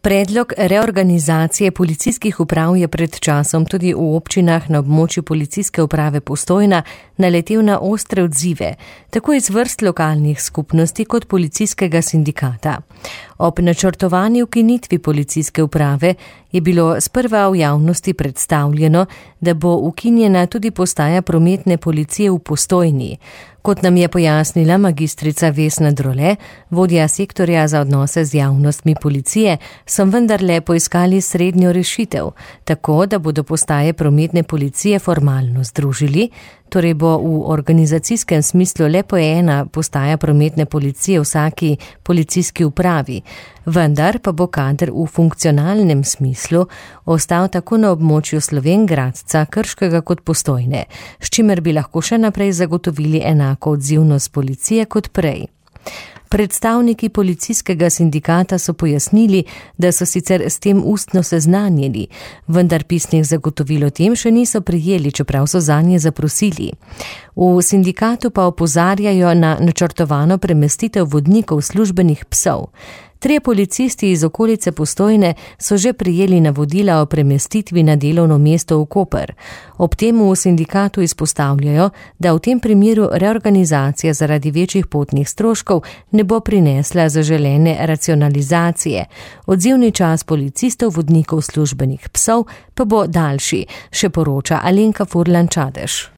Predlog reorganizacije policijskih uprav je pred časom tudi v občinah na območju policijske uprave Postojna naletel na ostre odzive, tako iz vrst lokalnih skupnosti kot policijskega sindikata. Ob načrtovani ukinitvi policijske uprave je bilo sprva v javnosti predstavljeno, da bo ukinjena tudi postaja prometne policije v Postojni. Kot nam je pojasnila magistrica Vesna Drole, vodja sektorja za odnose z javnostmi policije, so vendarle poiskali srednjo rešitev, tako da bodo postaje prometne policije formalno združili, torej bo v organizacijskem smislu le po ena postaja prometne policije vsaki policijski upravi, vendar pa bo kader v funkcionalnem smislu ostal tako na območju Slovenj Gradca, Krškega kot Postojne, s čimer bi lahko še naprej zagotovili enako odzivnost policije kot prej. Predstavniki policijskega sindikata so pojasnili, da so sicer s tem ustno seznanjeni, vendar pisnih zagotovil o tem še niso prejeli, čeprav so zanje zaprosili. V sindikatu pa opozarjajo na načrtovano premestitev vodnikov službenih psov. 3 policisti iz okolice Postojne so že prejeli navodila o premestitvi na delovno mesto v Koper. Ob tem v sindikatu izpostavljajo, da v tem primeru reorganizacija zaradi večjih potnih stroškov ne bo prinesla zaželene racionalizacije. Odzivni čas policistov vodnikov službenih psov pa bo daljši, še poroča Alenka Furlan Čadež.